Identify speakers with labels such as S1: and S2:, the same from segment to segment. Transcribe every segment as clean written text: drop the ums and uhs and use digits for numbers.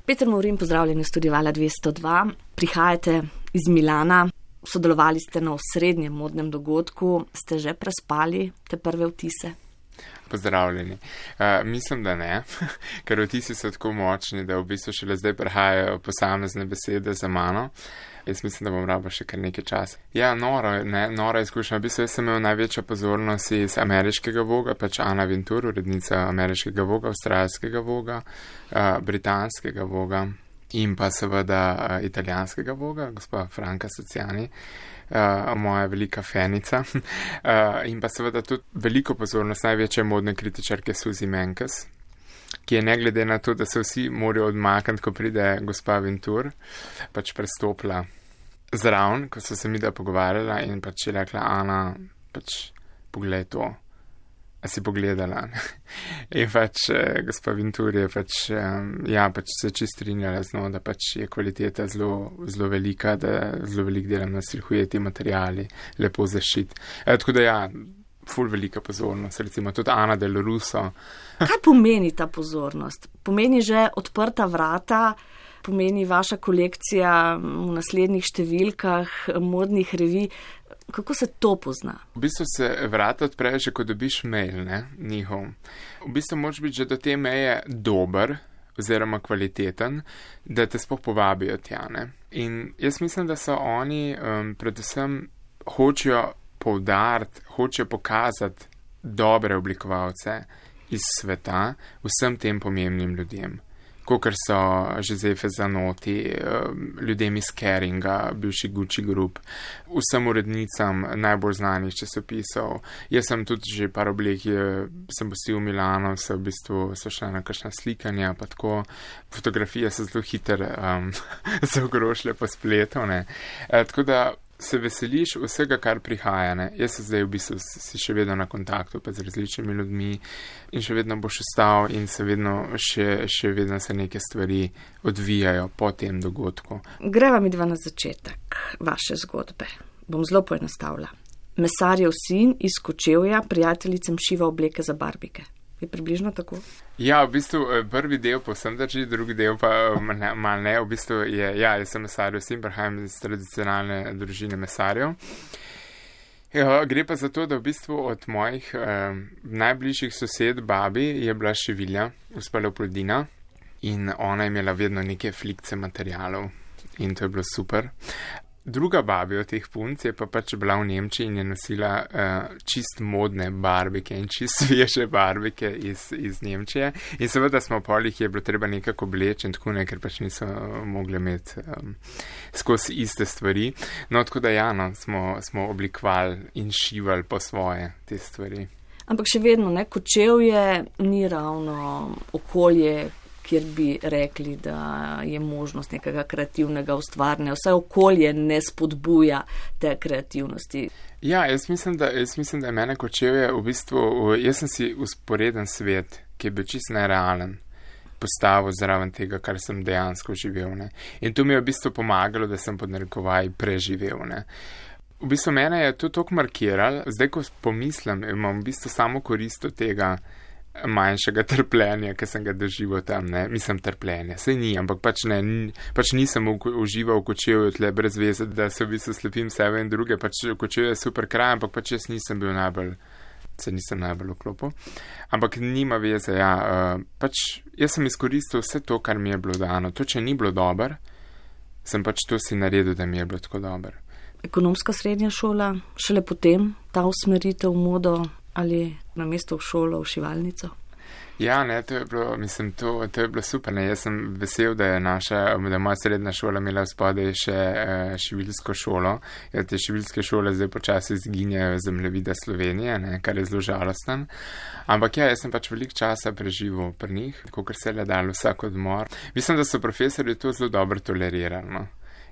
S1: Peter Movrin, pozdravljeni v studiu Vala 202. Prihajate iz Milana, sodelovali ste na osrednjem modnem dogodku. Ste že prespali te prve vtise?
S2: Pozdravljeni. Mislim, da ne, ker vtisi so tako močni, da v bistvu šele zdaj prihajajo posamezne besede za mano. Jaz mislim, da bom rabo še kar nekaj časa. Ja, nora izkušnja. V bistvu jaz sem imel največjo pozornost iz ameriškega Voga, pač Anna Wintour, urednica ameriškega Voga, avstralskega Voga, britanskega Voga in pa seveda italijanskega Voga, gospa Franca Sociani, moja velika fenica. In pa seveda tudi veliko pozornost največje modne kritičarke Suzy Menkes, ki je ne glede na to, da se vsi morajo odmakniti, ko pride gospa Wintour, pač prestopila zraven, ko so se mi da pogovarjala in pač je rekla, Ana, pač poglej to, a si pogledala. In pač gospa Wintour je pač, pač se čist strinjala z njo, da pač je kvaliteta zelo velika, da zelo velik delam na silhujeti materiali, lepo zaščit. Tako da ful velika pozornost, recimo tudi Ana Del Russo.
S1: Kaj pomeni ta pozornost? Pomeni že odprta vrata, pomeni vaša kolekcija v naslednjih številkah modnih revij. Kako se to pozna?
S2: V bistvu se vrata odprejo že, ko dobiš mail, njihov. V bistvu moraš biti že do te meje dober oziroma kvaliteten, da te sploh povabijo tja, ne. In jaz mislim, da so oni predvsem hočejo poudariti, hočejo pokazati dobre oblikovalce iz sveta vsem tem pomembnim ljudem. Kakor so Giuseppe Zanotti, ljudem iz Keringa, bivši Gucci Group, vsem urednicam najbolj znanih časopisov. Jaz sem tudi že par oblek, sem postil v Milano, so v bistvu šla na kakšna slikanja, pa tako. Fotografije so zelo hiter zagrošile po spletu, ne. Tako da se veseliš vsega, kar prihaja, ne. Jaz se zdaj v bistvu si še vedno na kontaktu pa z različnimi ljudmi in še vedno boš ostal in se vedno še vedno se neke stvari odvijajo po tem dogodku.
S1: Greva midva na začetek vaše zgodbe. Bom zelo poenostavila. Mesarjev sin iz Kočevja prijateljicam šiva obleke za barbike. Je približno tako?
S2: Ja, v bistvu prvi del povsem drži, drugi del pa mal ne. V bistvu jaz sem mesarjev sin, prihajam iz tradicionalne družine mesarjev. Gre pa za to, da v bistvu od mojih najbližjih sosed babi je bila šivilja, gospa Leopoldina, in ona je imela vedno neke flikce materialov in to je bilo super. Druga babi od teh punc je pa pač bila v Nemčiji in je nosila čist modne barbike in čist sveže barbike iz Nemčije. In seveda smo polih je bilo treba nekako obleči in tako ne, ker pač niso mogli imeti skozi iste stvari. No, tako da smo oblikovali in šivali po svoje te stvari.
S1: Ampak še vedno, Kočevje ni ravno okolje, kjer bi rekli, da je možnost nekega kreativnega ustvarjanja. Vse okolje ne spodbuja te kreativnosti.
S2: Ja, jaz mislim, da je mene Kočevje v bistvu, jaz sem si usporeden svet, ki je bil čisto nerealen, postavil zraven tega, kar sem dejansko živel, ne. In to mi je v bistvu pomagalo, da sem pod narekovaj preživel, ne. V bistvu mene je to toliko markiralo, zdaj ko pomislim, imam v bistvu samo korist od tega manjšega trpljenja, ki sem ga doživel tam, ne, mislim trpljenja, saj ni, ampak pač nisem užival v Kočevju tle brez veze, da se v bistvu slepim sebe in druge, pač Kočevje je super kraj, ampak pač jaz nisem najbolj vklopil, ampak nima veze, pač jaz sem izkoristil vse to, kar mi je bilo dano, to, če ni bilo dober, sem pač to si naredil, da mi je bilo tako dober.
S1: Ekonomska srednja šola, šele potem ta usmeritev v modo ali na mesto v šolo, v šivalnico?
S2: Ja, ne, to je bilo super, ne, jaz sem vesel, da je moja srednja šola imela spodaj še šivilsko šolo, te šivilske šole zdaj počasi izginjajo z zemljevida Slovenije, ne, kar je zelo žalosten, ampak jaz sem pač veliko časa preživel pri njih, kakor se je le dalo vsak odmor. Mislim, da so profesorji to zelo dobro tolerirali, no,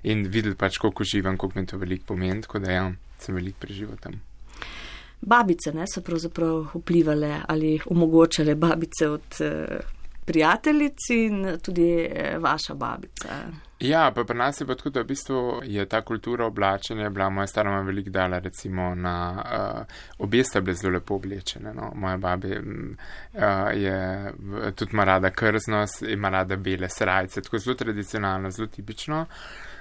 S2: in videli pač, koliko uživam, koliko mi to veliko pomeni, tako da sem veliko preživel tam.
S1: Babice, so pravzaprav vplivale ali omogočale babice od prijateljic in tudi vaša babica.
S2: Ja, pa pri nas je pa tako, da v bistvu je ta kultura oblačenja bila, moja stara ima veliko dala, recimo na obe sta bile zelo lepo oblečene. No. Moja babi tudi ima rada krznost, ima rada bele srajce, tako zelo tradicionalno, zelo tipično.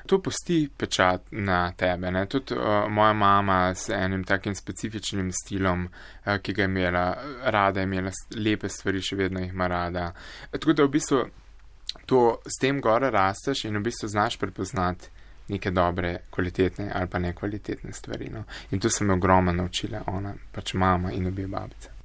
S2: To pusti pečat na tebe. Ne. Tudi moja mama s enim takim specifičnim stilom, ki ga je imela rada, je imela lepe stvari, še vedno jih ima rada. Tako da v bistvu to s tem gore rasteš in v bistvu znaš prepoznati neke dobre, kvalitetne ali pa nekvalitetne stvari. No. In to se me ogromno naučila ona, pač mama in obe babice.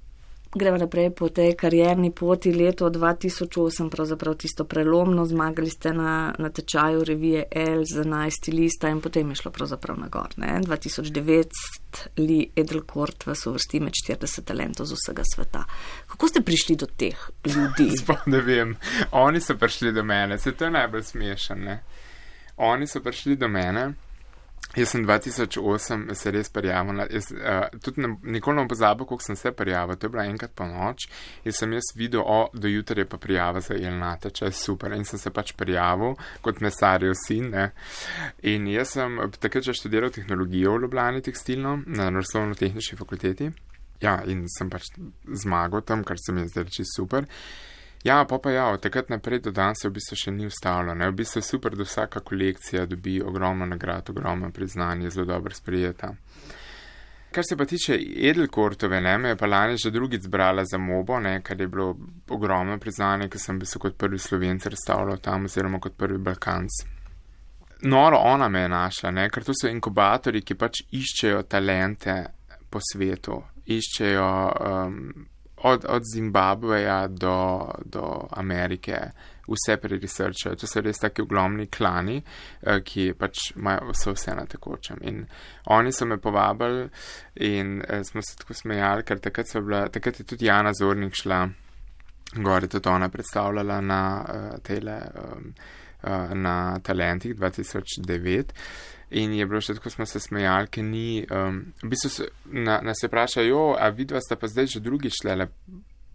S1: Gremo naprej po tej karierni poti. Leto 2008, pravzaprav tisto prelomno, zmagali ste na tečaju revije Elle z 11. lista in potem je šlo pravzaprav na gor. 2009 Lee Edelkourt vas uvrsti med 40 talentov z vsega sveta. Kako ste prišli do teh ljudi?
S2: Sploh ne vem. Oni so prišli do mene. Se to je najbolj smešen, ne? Oni so prišli do mene. Jaz sem 2008 se res prijavil, tudi nikoli ne pozabil, koliko sem se prijavil, to je bila enkrat po noč in sem jaz videl, do jutra je pa prijava za Elle natečaj, super, in sem se pač prijavil kot mesarjev sin, ne. In jaz sem takrat že študiral tehnologijo v Ljubljani tekstilno na Naravoslovno-tehnični fakulteti, ja, in sem pač zmagal tam, kar se mi je zdaj reči super. Ja, od takrat naprej do danes se v bistvu še ni ustavilo. Ne? V bistvu je super, da vsaka kolekcija dobi ogromno nagrad, ogromno priznanje, zelo dobro sprijeta. Kar se pa tiče Edelkourtove, me je pa lani že drugič zbrala za Mobo, kar je bilo ogromno priznanje, ker sem bil kot prvi Slovenc razstavljal tam oziroma kot prvi Balkanc. Noro ona me je našla, ker to so inkubatorji, ki pač iščejo talente po svetu, iščejo od Zimbabveja do Amerike, vse preresearchajo. To so res taki ogromni klani, ki pač so vse na tekočem. In oni so me povabili in smo se tako smejali, ker takrat je tudi Jana Zornik šla gor, tudi ona predstavljala na Talentih 2009. In je bilo še tako, smo se smejali, ker ni, v bistvu nas je vprašal, a vidva sta pa zdaj že drugi šlele,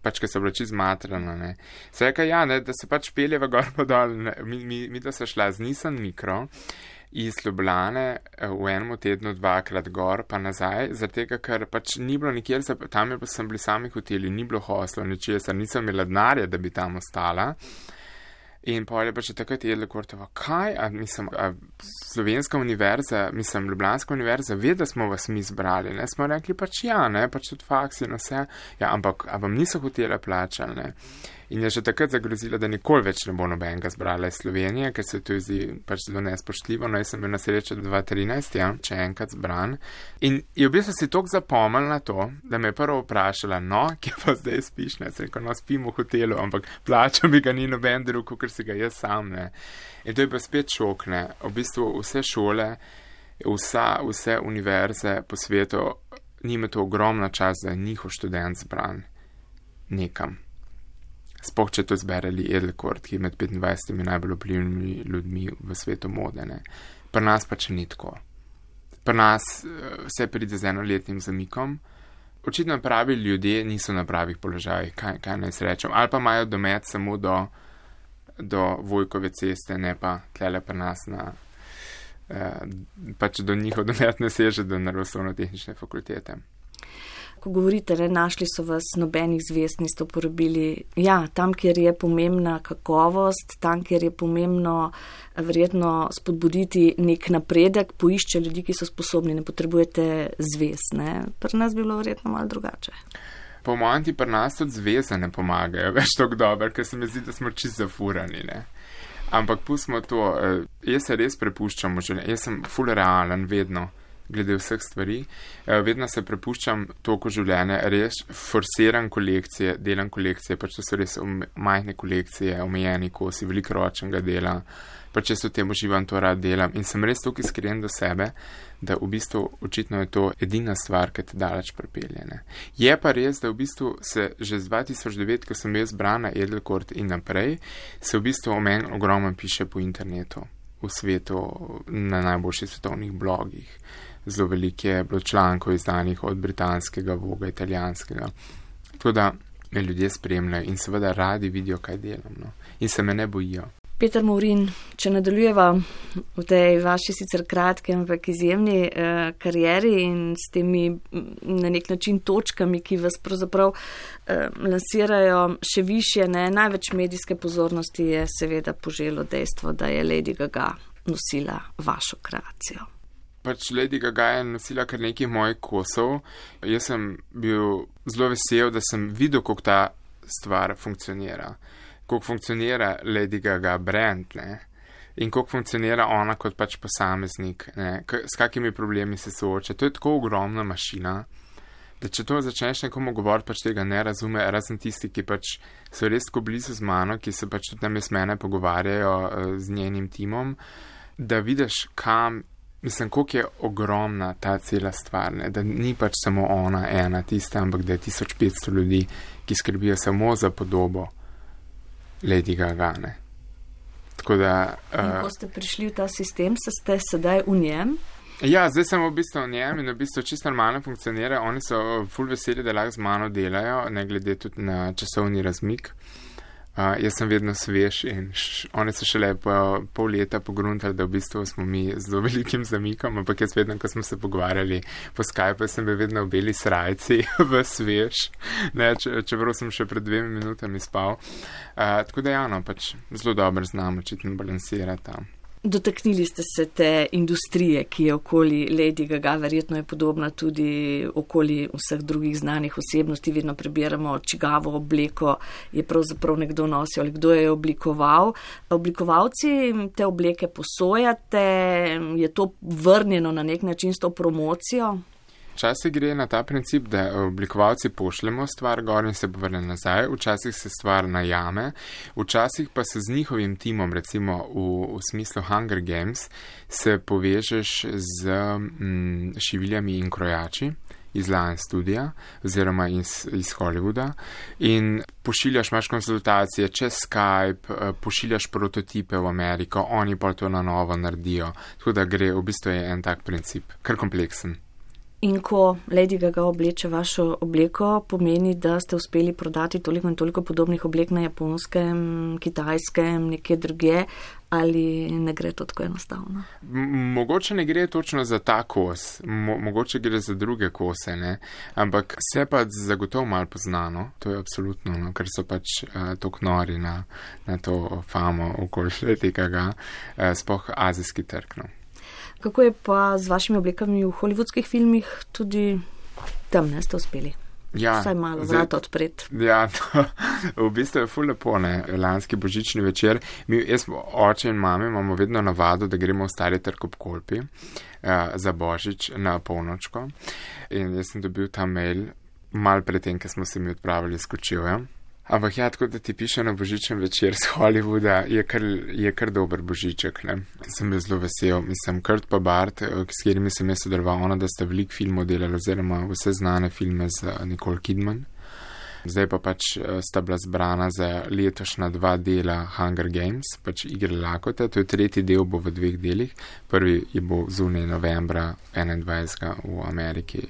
S2: pač, ker so bila čisto zmatrana, ne. Se reka, da se pač peljeva gor pa dol, mi da se šla z Nissan Micro iz Ljubljane v enem tednu 2-krat gor pa nazaj, zaradi tega, ker pač ni bilo nikjer, tam sem bili sami hoteli, ni bilo hostlo, ničesar, nisem imela denarja, da bi tam ostala. In pa je pa še takrat Edelkourtova, kaj, Slovenska univerza, Ljubljanska univerza, ve, da smo vas mi zbrali, ne, smo rekli pač pač tudi faksi in vse, ampak vam niso hotela plačali, ne. In je že takrat zagrozila, da nikoli več ne bo nobenega zbrala iz Slovenije, ker se to zdi pač zelo nespoštljivo, no, jaz sem bil na srečo 2013, če enkrat zbran. In je v bistvu si toliko zapomnil na to, da me je prvo vprašala, kje pa zdaj spiš, ne, se rekel, spim v hotelu, ampak plačal mi ga ni noben drug, ker si ga jaz sam, ne. In to je pa spet šok, ne. V bistvu vse šole, vse univerze po svetu, njima to ogromno čas, da je njihov študent zbran nekam. Sploh, če to zbere Lee Edelkourt, ki je med 25 najbolj vplivnimi ljudmi v svetu mode, ne. Pri nas pa če ni tako. Pri nas vse pride z enoletnim zamikom. Očitno pravi ljudje niso na pravih položajih, kaj naj se rečem. Ali pa imajo domet samo do Vojkove ceste, ne pa tlele pri nas pač do njihov domet ne seže do Naravoslovno-tehnične fakultete.
S1: Ko govorite, našli so vas, nobenih zvezd niste uporabili. Ja, tam, kjer je pomembna kakovost, tam, kjer je pomembno verjetno spodbuditi nek napredek, poišče ljudi, ki so sposobni, ne potrebujete zvezd, ne. Pri nas bi bilo verjetno malo drugače.
S2: Po mojem ti pri nas tudi zvezde ne pomagajo več tako dobro, ker se mi zdi, da smo čisto zafurani, ne. Ampak pustimo to, jaz se res prepuščam v življenju, jaz sem ful realen vedno. Glede vseh stvari, vedno se prepuščam toliko življenja, res forsiram kolekcije, delam kolekcije, pač to so res majhne kolekcije, omejeni kosi, veliko ročnega dela, pač jaz v tem uživam, to rad delam in sem res toliko iskren do sebe, da v bistvu očitno je to edina stvar, ki te daleč pripelje, ne. Je pa res, da v bistvu se že z 2009, ko sem jaz brana Edelkourt in naprej, se v bistvu o meni ogromno piše po internetu, v svetu, na najboljših svetovnih blogih. Zelo veliko je bilo člankov izdanih od britanskega, Voga, italijanskega. Tako da me ljudje spremljajo in seveda radi vidijo, kaj delam, no. In se me ne bojijo.
S1: Peter Movrin, če nadaljujeva v tej vaši sicer kratki, ampak izjemni karieri in s temi na nek način točkami, ki vas pravzaprav lansirajo še više, največ medijske pozornosti je seveda poželo dejstvo, da je Lady Gaga nosila vašo kreacijo.
S2: Pač Lady Gaga je nosila kar nekaj mojih kosov. Jaz sem bil zelo vesel, da sem videl, kako ta stvar funkcionira. Kako funkcionira Lady Gaga brand, ne? In kako funkcionira ona kot pač posameznik, ne? S kakimi problemi se sooča. To je tako ogromna mašina, da če to začneš nekomu govoriti, pač tega ne razume, razen tisti, ki pač so res tako blizu z mano, ki se pač tudi namesto mene pogovarjajo z njenim timom, da vidiš, koliko je ogromna ta cela stvar, ne? Da ni pač samo ona ena tista, ampak da je 1500 ljudi, ki skrbijo samo za podobo Lady Gaga, ne. Tako da... In
S1: ko ste prišli v ta sistem, ste sedaj v njem?
S2: Ja, zdaj sem v bistvu v njem in v bistvu čisto normalno funkcionira. Oni so ful veseli, da lahko z mano delajo, ne glede tudi na časovni razmik. Jaz sem vedno svež in oni so šele pol leta pogruntali, da v bistvu smo mi z zelo velikim zamikom, ampak jaz vedno, ko smo se pogovarjali po Skype, sem bil vedno v beli srajci, v svež, ne, čeprav sem še pred 2 minutami spal. Tako da pač zelo dobro znam očitno balansirati.
S1: Dotaknili ste se te industrije, ki je okoli Lady Gaga, verjetno je podobna tudi okoli vseh drugih znanih osebnosti. Vedno prebiramo, čigavo obleko je pravzaprav nekdo nosil ali kdo je oblikoval. Oblikovalci te obleke posojate, je to vrnjeno na nek način s to promocijo?
S2: Včasih gre na ta princip, da oblikovalci pošljemo stvar gor in se povrne nazaj, včasih se stvar najame, včasih pa se z njihovim timom, recimo v smislu Hunger Games, se povežeš z šiviljami in krojači iz Lion Studia oziroma iz Hollywooda in pošiljaš, imaš konsultacije čez Skype, pošiljaš prototipe v Ameriko, oni pa to na novo naredijo, tako da gre, v bistvu je en tak princip, kar kompleksen.
S1: In ko Lady Gaga obleče vašo obleko, pomeni, da ste uspeli prodati toliko in toliko podobnih oblek na japonskem, kitajskem, nekje drugje, ali ne gre to tako enostavno?
S2: Mogoče ne gre točno za ta kos, mogoče gre za druge kose, ne? Ampak se pa zagotovo malo poznano, to je absolutno, no? Ker so pač toliko nori na to famo okoli Lady Gaga, sploh azijski trg, no.
S1: Kako je pa z vašimi oblekami v hollywoodskih filmih, tudi tam ne ste uspeli?
S2: Ja,
S1: vsaj malo vrata odpreti.
S2: Ja, to v bistvu je ful lepo, ne, lanski božični večer. Jaz, oče in mame, imamo vedno navado, da gremo v Stari trg ob Kolpi za božič na polnočko. In jaz sem dobil ta mail malo pred tem, ko smo se mi odpravili s Kočevja. Ampak ja, tako da ti piše na božičen večer z Hollywooda, je kar dober božiček, ne. Sem bil zelo vesel. Mislim, Kurt pa Bart, s katerimi sem jaz sodeloval, ona, da sta veliko filmov delali, oziroma vse znane filme z Nicole Kidman. Zdaj pa pač sta bila zbrana za letošnja 2 dela Hunger Games, pač Igre lakote. To je 3. del, bo v 2 delih. Prvi je bo zunaj novembra 21. v Ameriki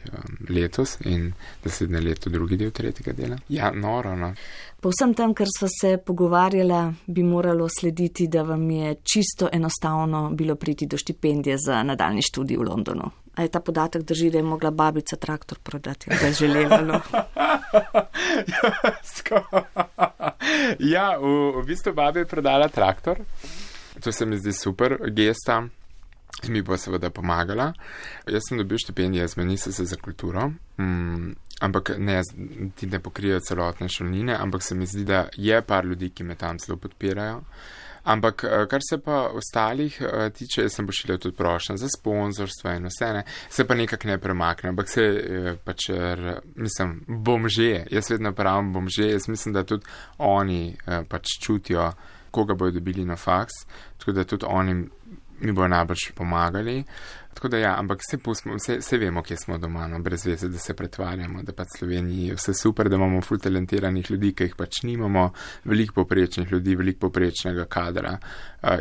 S2: letos in naslednje leto 2. del 3. dela. Ja, noro, no.
S1: Po vsem tem, kar sva se pogovarjala, bi moralo slediti, da vam je čisto enostavno bilo priti do štipendije za nadaljnji študij v Londonu. A je ta podatek drži, da je mogla babica traktor prodati, da je želela, no?
S2: Ja, v bistvu babi je prodala traktor. To se mi zdi super gesta. Mi bo seveda pomagala. Jaz sem dobil štipendijo z Ministrstva za kulturo, ampak ne, ti ne pokrijejo celotne šolnine, ampak se mi zdi, da je par ljudi, ki me tam zelo podpirajo. Ampak, kar se pa ostalih tiče, jaz sem pošiljal tudi prošnje za sponzorstvo in vse, ne, se pa nekako ne premakne, ampak se pač, mislim, bomže, jaz vedno pravim bomže, jaz mislim, da tudi oni pač čutijo, koga bojo dobili na faks, tako da tudi oni mi bojo najbrž pomagali. Tako da ja, ampak se vemo, kje smo doma, no, brez veze, da se pretvarjamo, da pač Sloveniji je vse super, da imamo ful talentiranih ljudi, ki jih pač nimamo, veliko poprečnih ljudi, veliko poprečnega kadra.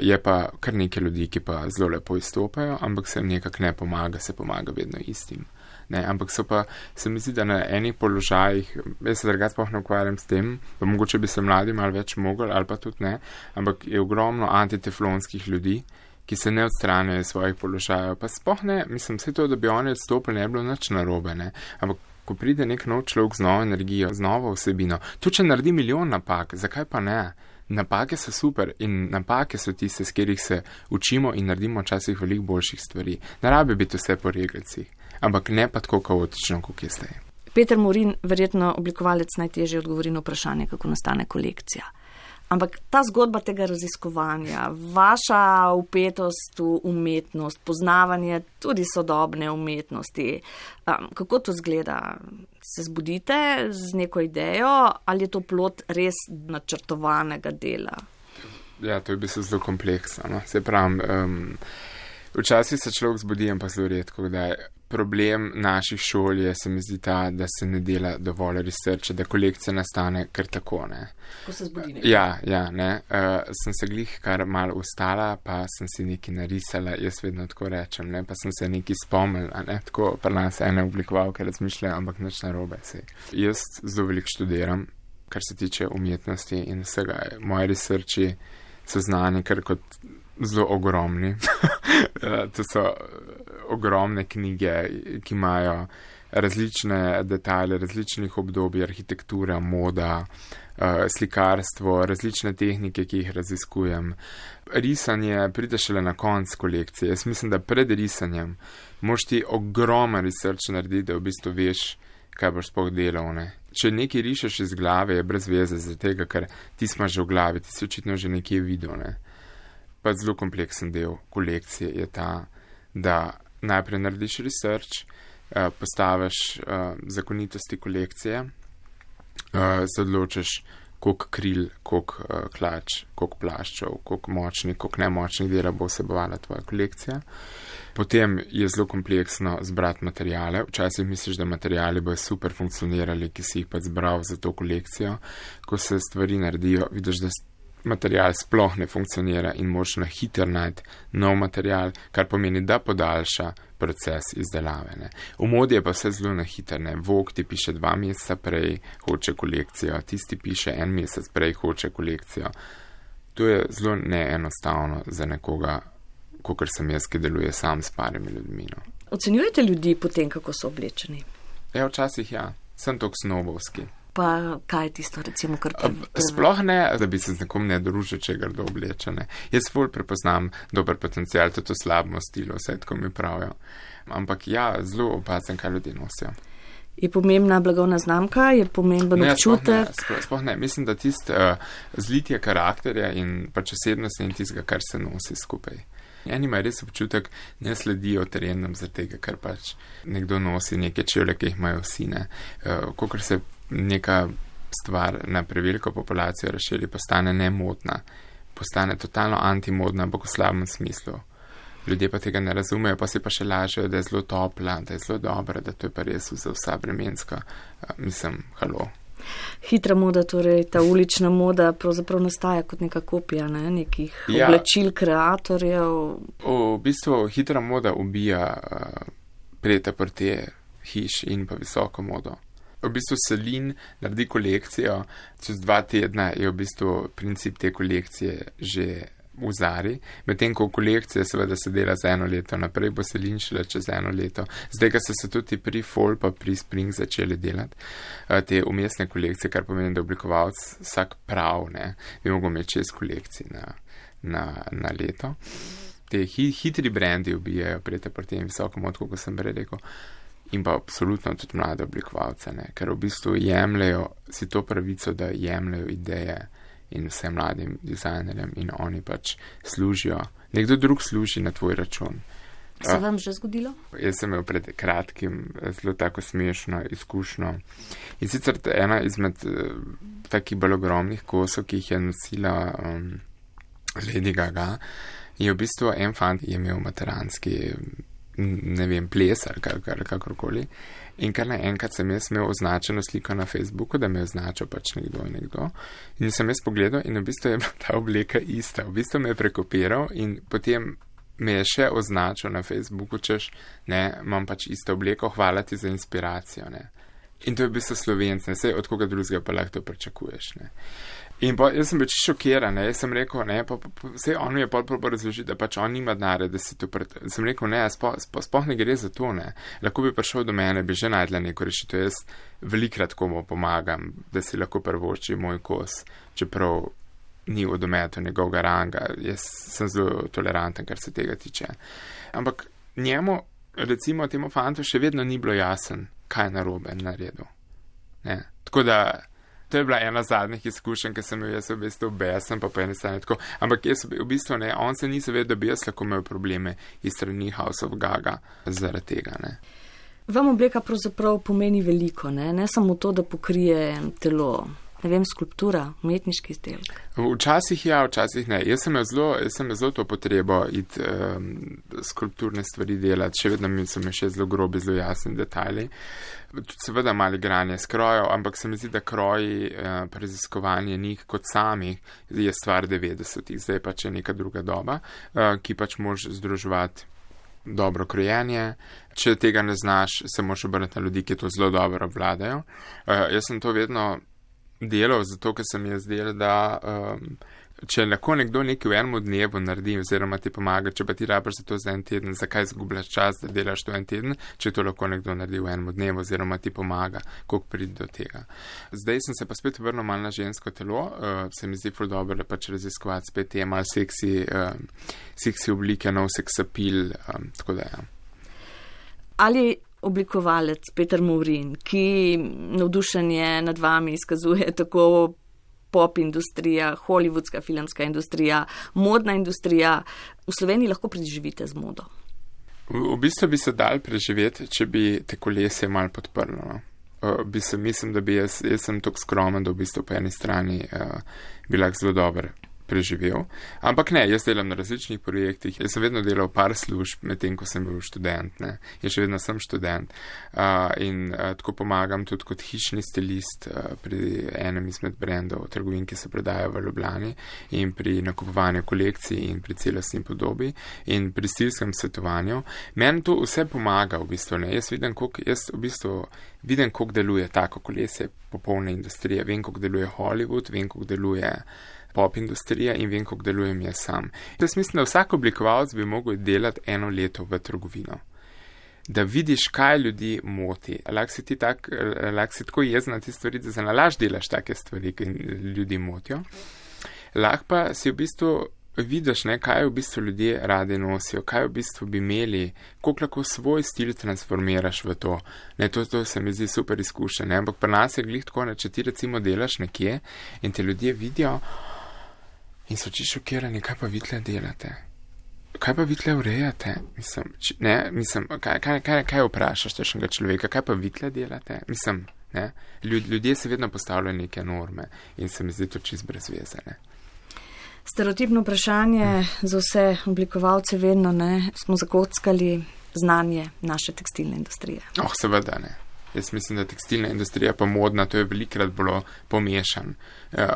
S2: Je pa kar nekaj ljudi, ki pa zelo lepo izstopajo, ampak se nekako ne pomaga, se pomaga vedno istim. Ne, ampak se mi zdi, da na enih položajih, jaz se drugače sploh ne ukvarjam s tem, pa mogoče bi se mladi malo več mogli, ali pa tudi ne, ampak je ogromno antiteflonskih ljudi, ki se ne odstranjajo svojih položajev, pa sploh ne, mislim, vse to, da bi oni odstopili, ne bi bilo nič narobe, ne, ampak ko pride nek nov človek z novo energijo, z novo vsebino, tudi če naredi milijon napak, zakaj pa ne? Napake so super in napake so tiste, s katerih se učimo in naredimo včasih veliko boljših stvari. Ne rabi biti vse po regelcih, ampak ne pa tako kaotično, kot je zdaj.
S1: Peter Morin, verjetno oblikovalec, najtežje odgovori na vprašanje, kako nastane kolekcija. Ampak ta zgodba tega raziskovanja, vaša vpetost v umetnost, poznavanje tudi sodobne umetnosti, kako to zgleda? Se zbudite z neko idejo ali je to plod res načrtovanega dela?
S2: Ja, to je v bistvu zelo kompleksno. No? Se pravim, včasih se človek zbudi, ampak zelo redko, kdaj. Problem naših šol je, se mi zdi ta, da se ne dela dovolj researcha, da kolekcija nastane kar tako, ne.
S1: Ko se zbudi nekaj.
S2: Ja, ne. Sem se glih kar malo ustala, pa sem si nekaj narisala, jaz vedno tako rečem, ne, pa sem se nekaj spomnila, ne, tako pa nas ene oblikovalke razmišljajo, ampak nič narobe se. Jaz zelo veliko študiram, kar se tiče umetnosti in vsega. Moji researchi so znani kar kot zelo ogromni. To so ogromne knjige, ki imajo različne detajle, različnih obdobij, arhitektura, moda, slikarstvo, različne tehnike, ki jih raziskujem. Risanje pride šele na konc kolekcije. Jaz mislim, da pred risanjem moraš ti ogromen research narediti, da v bistvu veš, kaj boš sploh delal, ne. Če nekaj rišeš iz glave, je brez veze za tega, ker ti smo že v glavi, ti si očitno že nekje videl, ne. Pa zelo kompleksen del kolekcije je ta, da najprej narediš research, postaviš zakonitosti kolekcije, se odločiš, koliko kril, koliko hlač, koliko plaščev, koliko močnih, koliko nemočnih dela bo vsebovala tvoja kolekcija. Potem je zelo kompleksno zbrati materijale. Včasih misliš, da materijali bojo super funkcionirali, ki si jih pa zbral za to kolekcijo. Ko se stvari naredijo, vidiš, da material sploh ne funkcionira in moraš na hiter najti nov material, kar pomeni, da podaljša proces izdelave. Ne. V modi je pa vse zelo na hiter. Vogue ti piše 2 meseca prej, hoče kolekcijo, tisti piše 1 mesec prej, hoče kolekcijo. To je zelo neenostavno za nekoga, kakor sem jaz, ki deluje sam s parimi ljudmi. No.
S1: Ocenjujete ljudi potem, kako so oblečeni?
S2: Ja, včasih ja. Sem toliko snobovski.
S1: Pa kaj je tisto, recimo, kar
S2: Sploh ne, da bi se z nekom ne družil, če ga grdo oblečene. Jaz ful prepoznam dober potencial, tudi v slabem stilu, vse tako mi pravijo. Ampak ja, zelo opazim, kaj ljudje nosijo.
S1: Je pomembna blagovna znamka, je pomemben občutek?
S2: Sploh ne. Mislim, da tisto zlitje karakterja in pač osebnosti in tistega, kar se nosi skupaj. Eni imajo res občutek, ne sledijo trendom zaradi tega, ker pač nekdo nosi neke čevlje, ki jih imajo vsi, ne. Kakor se neka stvar na preveliko populacijo razširi, postane nemodna, postane totalno antimodna, ampak v slabem smislu. Ljudje pa tega ne razumejo, pa si pa še lažejo, da je zelo topla, da je zelo dobra, da to je pa res za vsa vremenska. Mislim, halo.
S1: Hitra moda, torej ta ulična moda pravzaprav nastaja kot neka kopija, ne? Nekih oblačil kreatorjev.
S2: V bistvu hitra moda ubija prete hiš in pa visoko modo. V bistvu Celine naredi kolekcijo, čez 2 tedna je v bistvu princip te kolekcije že v Zari, medtem ko kolekcija seveda se dela za 1 leto naprej, bo Celine šele čez 1 leto. Zdaj, ko so tudi pri Fall pa pri Spring začeli delati te umestne kolekcije, kar pomeni, da oblikovalec vsak prav, ne, bi mogel imeti 6 kolekcij na leto. Te hitri brendi ubijajo prete in visoko mod, kot sem prej rekel. In pa absolutno tudi mlade oblikovalce, ne, ker v bistvu jemljajo si to pravico, da jemljajo ideje in vsem mladim dizajnerjem in oni pač služijo. Nekdo drug služi na tvoj račun.
S1: Se vam že zgodilo?
S2: Jaz sem imel pred kratkim zelo tako smešno izkušnjo. In sicer ena izmed takih bolj ogromnih kosov, ki jih je nosila Lady Gaga, je v bistvu en fant je imel materanski, ne vem, ples ali kakorkoli. In kar naenkrat sem jaz imel označeno sliko na Facebooku, da me je označil pač nekdo in nekdo. In sem jaz pogledal in v bistvu je bila ta obleka ista. V bistvu me je prekopiral in potem me je še označil na Facebooku, češ, ne, imam pač isto obleko, hvala ti za inspiracijo, ne. In to je v bistvu Slovenc, ne, sej od koga drugega pa lahko to pričakuješ, ne. In pa jaz sem bil čisto šokiran, ne, jaz sem rekel, ne, sej on mi je pol razložil, da pač on nima denarja, da si to sem rekel, ne, sploh ne gre za to, ne. Lahko bi prišel do mene, bi že najdla neko rešitev, jaz velikrat komu pomagam, da si lahko prvošči moj kos, čeprav ni v dometu njegovega ranga, jaz sem zelo toleranten, kar se tega tiče. Ampak njemu, recimo temu fantu, še vedno ni bilo jasen, kaj je narobe naredil. Ne. Tako da, to je bila ena zadnjih izkušenj, ki sem jo jaz v bistvu besen, pa po eni strani tako. Ampak jaz v bistvu ne, on se ni zavedal, da bi jaz lahko imel probleme iz strani House of Gaga zaradi tega, ne.
S1: Vam obleka pravzaprav pomeni veliko, ne samo to, da pokrije telo. Ne vem, skulptura, umetniški izdelek.
S2: Včasih ja, včasih ne. Jaz sem zelo to potrebo iti skulpturne stvari delati, še vedno so mi še zelo grobi, zelo jasni detajli. Tudi seveda malo igranje s krojo, ampak se mi zdi, da kroji, raziskovanje njih kot samih je stvar 90-ih, zdaj pač je neka druga doba, ki pač moraš združevati dobro krojenje. Če tega ne znaš, se moraš obrniti na ljudi, ki to zelo dobro obvladajo. Jaz sem to vedno delal, zato ker se mi je zdelo, da če lahko nekdo nekaj v enem dnevu naredi oziroma ti pomaga, če pa ti rabiš za to za en teden, zakaj zgubljaš čas, da delaš to en teden, če to lahko nekdo naredi v enem dnevu oziroma ti pomaga, koliko pride do tega. Zdaj sem se pa spet vrnil malo na žensko telo, se mi zdi ful dobro, da pač raziskovati spet te malo seksi oblike, nov seks appeal, tako da ja.
S1: Ali oblikovalec Peter Movrin, ki navdušenje nad vami izkazuje tako pop industrija, hollywoodska filmska industrija, modna industrija, v Sloveniji lahko preživite z modo?
S2: V bistvu bi se dal preživeti, če bi te kolesje malo podprlo. Mislim, da bi jaz sem tako skromen, da v bistvu po eni strani bi lahko zelo dober preživel. Ampak ne, jaz delam na različnih projektih. Jaz sem vedno delal par služb, medtem ko sem bil študent, ne. Jaz še vedno sem študent. In tako pomagam tudi kot hišni stilist pri enem izmed brendov trgovin, ki se prodajajo v Ljubljani, in pri nakupovanju kolekcij in pri celostni podobi in pri stilskem svetovanju. Meni to vse pomaga v bistvu, ne. Jaz vidim, koliko deluje tako kolesje popolne industrije. Vem, koliko deluje Hollywood, vem, koliko deluje pop industrija in vem, kako delujem jaz sam. Jaz mislim, da vsak oblikovalec bi mogel delati 1 leto v trgovino. Da vidiš, kaj ljudi moti. Lahko si tako jezen na te stvari, da se nalaž delaš take stvari, ki ljudi motijo. Lahko pa si v bistvu vidiš, ne, kaj v bistvu ljudje radi nosijo, kaj v bistvu bi imeli, koliko lahko svoj stil transformiraš v to. Ne, to se mi zdi super izkušenje, ampak pri nas je glih tako, ne, če ti recimo delaš nekje in te ljudje vidijo, in so čisto šokirani, kaj pa vi tle delate? Kaj pa vi tle urejate? Kaj vprašaš tešnega človeka? Kaj pa vi tle delate? Ne? Ljudje se vedno postavljajo neke norme in se mi zdi to čisto brezveze, ne.
S1: Stereotipno vprašanje za vse oblikovalce vedno, ne, smo zakockali znanje naše tekstilne industrije.
S2: Seveda ne. Jaz mislim, da tekstilna industrija pa modna, to je velikrat bilo pomešan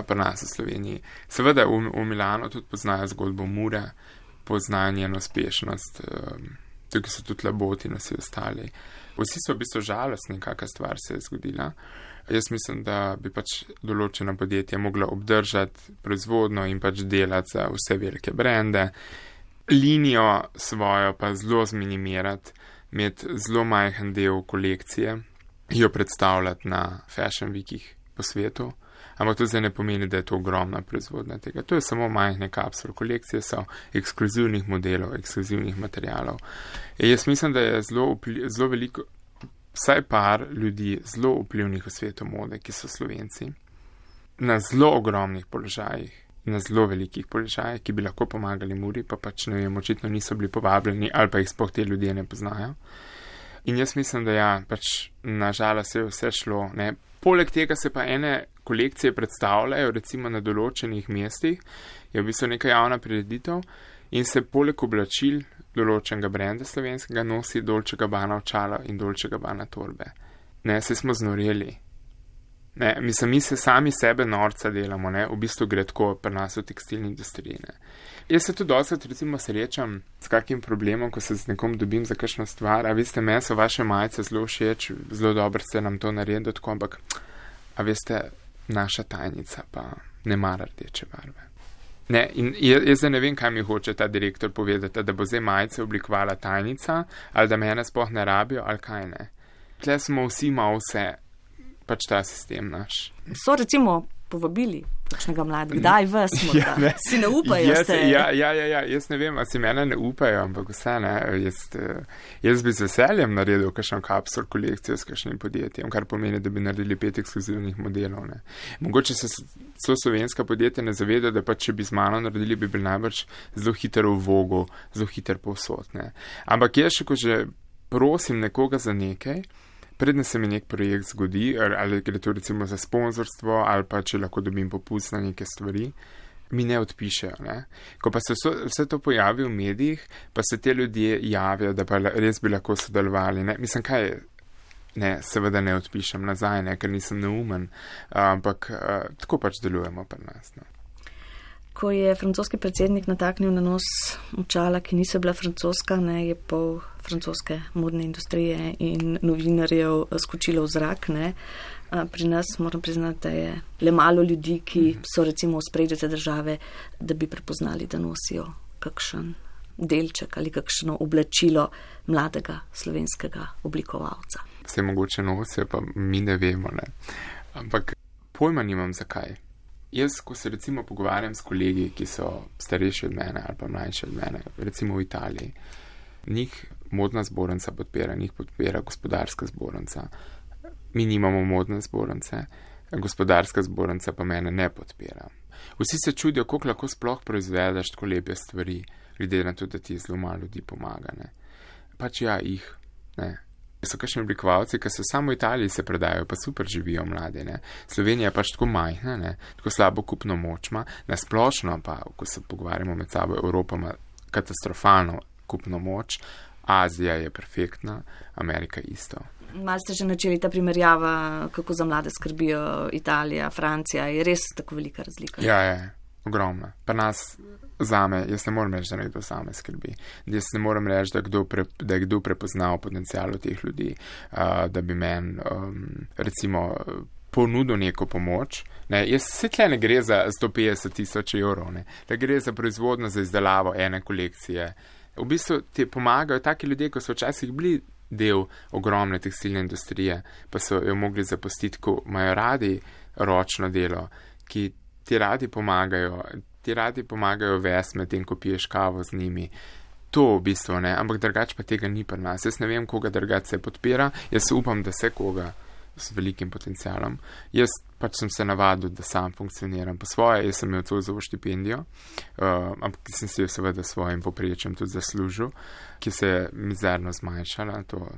S2: pri nas v Sloveniji. Seveda v Milano tudi poznajo zgodbo Mure, poznajo njeno uspešnost, tukaj so tudi Laboti in vsi ostali. Vsi so v bistvu žalostni, kakšna stvar se je zgodila. Jaz mislim, da bi pač določena podjetja mogla obdržati proizvodno in pač delati za vse velike brende, linijo svojo pa zelo zminimirati, imeti zelo majhen del kolekcije, jo predstavljati na Fashion Weekih po svetu, ampak to zdaj ne pomeni, da je to ogromna proizvodnja tega. To je samo majhne kapsul. Kolekcije so ekskluzivnih modelov, ekskluzivnih materialov. Jaz mislim, da je zelo veliko, vsaj par ljudi zelo vplivnih v svetu mode, ki so Slovenci, na zelo ogromnih položajih, na zelo velikih položajih, ki bi lahko pomagali Muri, pa pač ne vem, očitno niso bili povabljeni ali pa jih sploh te ljudje ne poznajo. In jaz mislim, da ja, pač nažalost je vse šlo, ne. Poleg tega se pa ene kolekcije predstavljajo, recimo na določenih mestih, je v bistvu neka javna prireditev in se poleg oblačil določenega brenda slovenskega nosi Dolce & Gabbana očala in Dolce & Gabbana torbe. Ne, se smo znoreli. Ne, mislim, mi se sami sebe norca delamo, ne, v bistvu gre tako pri nas v tekstilni industriji, ne. Jaz se tudi dosti, recimo, srečam s kakim problemom, ko se z nekom dobim za kakšno stvar, a veste, meni so vaše majice zelo všeč, zelo dobro ste nam to naredili, tako, ampak, a veste, naša tajnica pa ne mara rdeče barve. Ne, in jaz ne vem, kaj mi hoče ta direktor povedati, da bo zdaj majice oblikovala tajnica, ali da mene sploh ne rabijo, ali kaj ne. Tle smo vsi malo vse, pač ta sistem naš.
S1: So recimo povabili kakšnega mladega, kdaj vas morda? Ja, si ne upajo ste?
S2: Ja, jaz ne vem, a si mene ne upajo, ampak vse ne, jaz bi z veseljem naredil kakšno kapsul kolekcijo s kakšnim podjetjem, kar pomeni, da bi naredili 5 ekskluzivnih modelov, ne. Mogoče se slovenska podjetja ne zavedajo, da pa če bi z mano naredili, bi bil najbrž zelo hiter v vogu, zelo hiter povsod, ne. Ampak jaz še, ko že prosim nekoga za nekaj, predne se mi nek projekt zgodi, ali gre to recimo za sponzorstvo, ali pa če lahko dobim popust na neke stvari, mi ne odpišejo, ne. Ko pa se vse to pojavi v medijih, pa se te ljudje javijo, da pa res bi lahko sodelovali, ne. Mislim, kaj je? Ne, seveda ne odpišem nazaj, ne, ker nisem neumen, ampak tako pač delujemo pri nas, ne.
S1: Ko je francoski predsednik nataknil na nos očala, ki niso bila francoska, ne, je pol francoske modne industrije in novinarjev skočilo v zrak, ne. Pri nas moram priznati, da je le malo ljudi, ki so recimo v spredju te države, da bi prepoznali, da nosijo kakšen delček ali kakšno oblačilo mladega slovenskega oblikovalca.
S2: Vse mogoče nosijo, pa mi ne vemo, ne. Ampak pojma nimam zakaj. Jaz, ko se recimo pogovarjam s kolegi, ki so starejši od mene ali pa mlajši od mene, recimo v Italiji, njih modna zbornica podpira, njih podpira gospodarska zbornica. Mi nimamo modne zbornice, gospodarska zbornica pa mene ne podpira. Vsi se čudijo, koliko lahko sploh proizvedeš tako lepe stvari, glede na to, da ti zelo malo ljudi pomaga, ne. Pač ja, jih, ne. So kakšni oblikovalci, ki so samo v Italiji se predajo, pa super živijo mladi, ne. Slovenija je pač tako majhna, ne, tako slabo kupno moč ima, nasplošno pa, ko se pogovarjamo med sabo, Evropa ima katastrofalno kupno moč, Azija je perfektna, Amerika isto.
S1: Malo ste že načeli ta primerjava, kako za mlade skrbijo Italija, Francija, je res tako velika razlika?
S2: Ja, je, ogromna. Pa nas zame, jaz ne morem reči, da nekdo zame skrbi. Jaz ne morem reči, da je kdo prepoznal potencial teh ljudi, da bi meni, recimo, ponudil neko pomoč. Ne, jaz se tle ne gre za 150 000 evrov, ne, da gre za proizvodno, za izdelavo ene kolekcije. V bistvu ti pomagajo taki ljudje, ko so včasih bili del ogromne tekstilne industrije, pa so jo mogli zapustiti, ko imajo radi ročno delo, ki ti radi pomagajo vesti med tem, ko piješ kavo z njimi. To v bistvu ne, ampak drugače pa tega ni pri nas. Jaz ne vem, koga drugače se podpira, jaz upam, da se koga s velikim potencialom. Jaz pač sem se navadil, da sam funkcioniram po svoje, jaz sem imel Zoisovo štipendijo, ampak sem si jo seveda svojim poprečjem tudi zaslužil, ki se je mizerno zmanjšala, to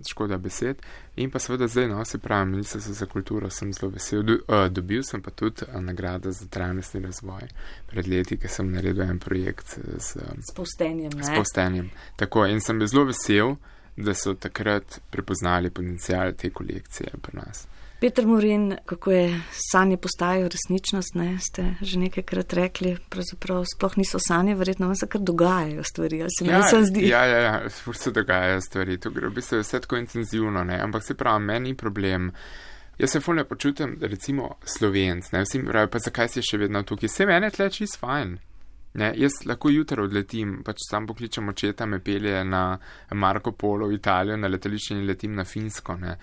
S2: škoda besed. In pa seveda zdaj, no, se pravi, Ministrstvo za kulturo sem zelo vesel. Dobil sem pa tudi nagrado za trajnostni razvoj pred leti, ker sem naredil en projekt s povstenjem, ne? S povstenjem. Tako, in sem bil zelo vesel, da so takrat prepoznali potencial te kolekcije pri nas.
S1: Peter Morin, kako je sanje postajajo resničnost, ne, ste že nekajkrat rekli, pravzaprav sploh niso sanje, verjetno vam se kar dogajajo stvari, ali se meni se zdi?
S2: Ja, se dogajajo stvari, to gre v bistvu vse tako intenzivno, ne, ampak se pravi, meni ni problem. Jaz se ful ne počutim, recimo, Slovenc, ne, vsi mi pravijo, pa zakaj si še vedno tukaj, se mene tle čist fajn. Ne, jaz lahko jutro odletim, pač sam pokličem očeta, me pelje na Marco Polo v Italijo, na letališče in letim na Finsko. Ne.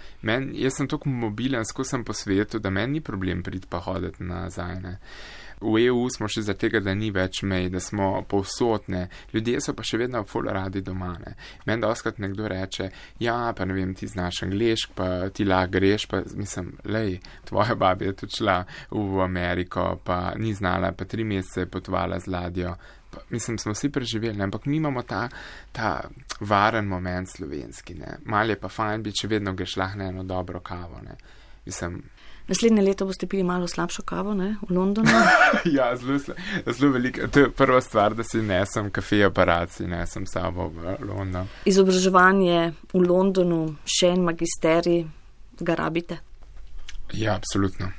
S2: Jaz sem tako mobilen, skozi sem po svetu, da meni ni problem priti pa hoditi nazaj. Ne. V EU smo še za tega, da ni več mej, da smo povsodne. Ljudje so pa še vedno ful radi doma. Ne. Meni doskrat nekdo reče, ja, pa ne vem, ti znaš anglešk, pa ti lahko greš, pa mislim, lej, tvoja baba je tudi šla v Ameriko, pa ni znala, pa 3 mesece je potovala z ladjo. Pa, mislim, smo vsi preživeli, ne. Ampak mi imamo ta varen moment slovenski. Ne. Mal je pa fajn biti, če vedno greš lahko na eno dobro kavo. Ne. Mislim,
S1: naslednje leto boste pili malo slabšo kavo, ne, v Londonu?
S2: Ja, zelo veliko. To je prva stvar, da si nesem kafe aparat, si nesem sabo v London.
S1: Izobraževanje v Londonu, še en magisterij, ga rabite?
S2: Ja, absolutno.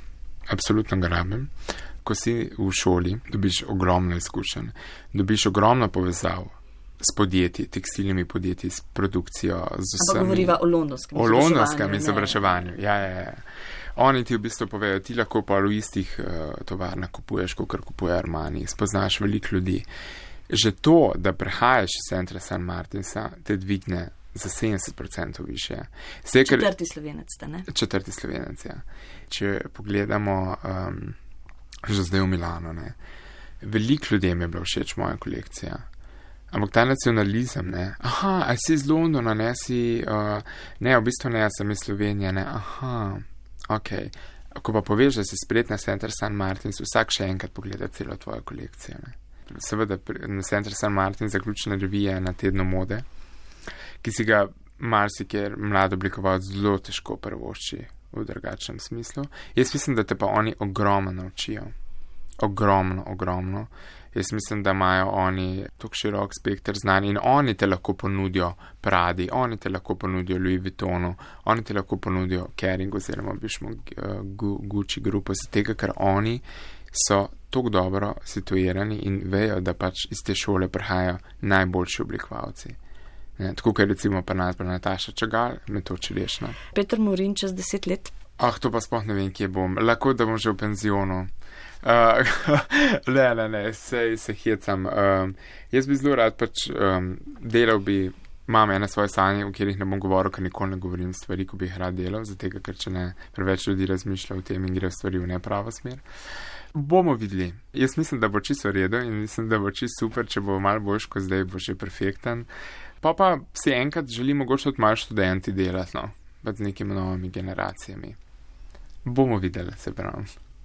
S2: Absolutno ga rabim. Ko si v šoli, dobiš ogromno izkušenj, dobiš ogromno povezav s podjetji, tekstilnimi podjetji, s produkcijo, z vsemi.
S1: Ampak govoriva o londonskem
S2: izobraževanju. O londonskem izobraževanju, ja. Oni ti v bistvu povejo, ti lahko pa v istih tovarnah kupuješ, kot kupuje Armani, spoznaš veliko ljudi. Že to, da prehajaš iz centra St. Martinsa, te dvigne za 70% više.
S1: Četrti Slovenec ste, ne?
S2: Četrti Slovenec, ja. Če pogledamo že zdaj v Milano, ne. Veliko ljudem je bila všeč moja kolekcija. Ampak ta nacionalizem, ne. Aha, a si iz Londona, ne si, ne, v bistvu ne, sem iz Slovenije, ne. Aha, okej. Ko pa poveš, da si spletna Center St. Martins, vsak še enkrat pogleda celo tvojo kolekcijo, ne. Seveda, na Center St. Martin zaključna revija na tednu mode, ki si ga marsikjer mlad oblikovalec zelo težko prvošči v drugačnem smislu. Jaz mislim, da te pa oni ogromno naučijo. Ogromno. Jaz mislim, da imajo oni tako širok spekter znanja in oni te lahko ponudijo Pradi, oni te lahko ponudijo Louis Vuittonu, oni te lahko ponudijo Kering oziroma bišmo Gucci grupo, z tega, ker oni so tako dobro situirani in vejo, da pač iz te šole prihajajo najboljši oblikovalci. Tako, ker recimo pa Nataša Čagal, metoči rešno.
S1: Peter Morin čez 10 let?
S2: To pa sploh ne vem, kje bom. Lahko, da bom že v penzionu. Ne, se hecam. Jaz bi zelo rad pač delal bi, imam ene svoje sanje, o katerih ne bom govoril, ker nikoli ne govorim stvari, ko bi jih rad delal, zato ker če ne preveč ljudi razmišlja o tem in gre stvari v nepravo smer. Bomo videli. Jaz mislim, da bo čisto v redu in mislim, da bo čisto super, če bo malo boljš, ko zdaj bo že perfekten. Pa si enkrat želim mogoče tudi malo študenti delati, no, z nekimi novimi generacijami. Bomo videli, se pravim.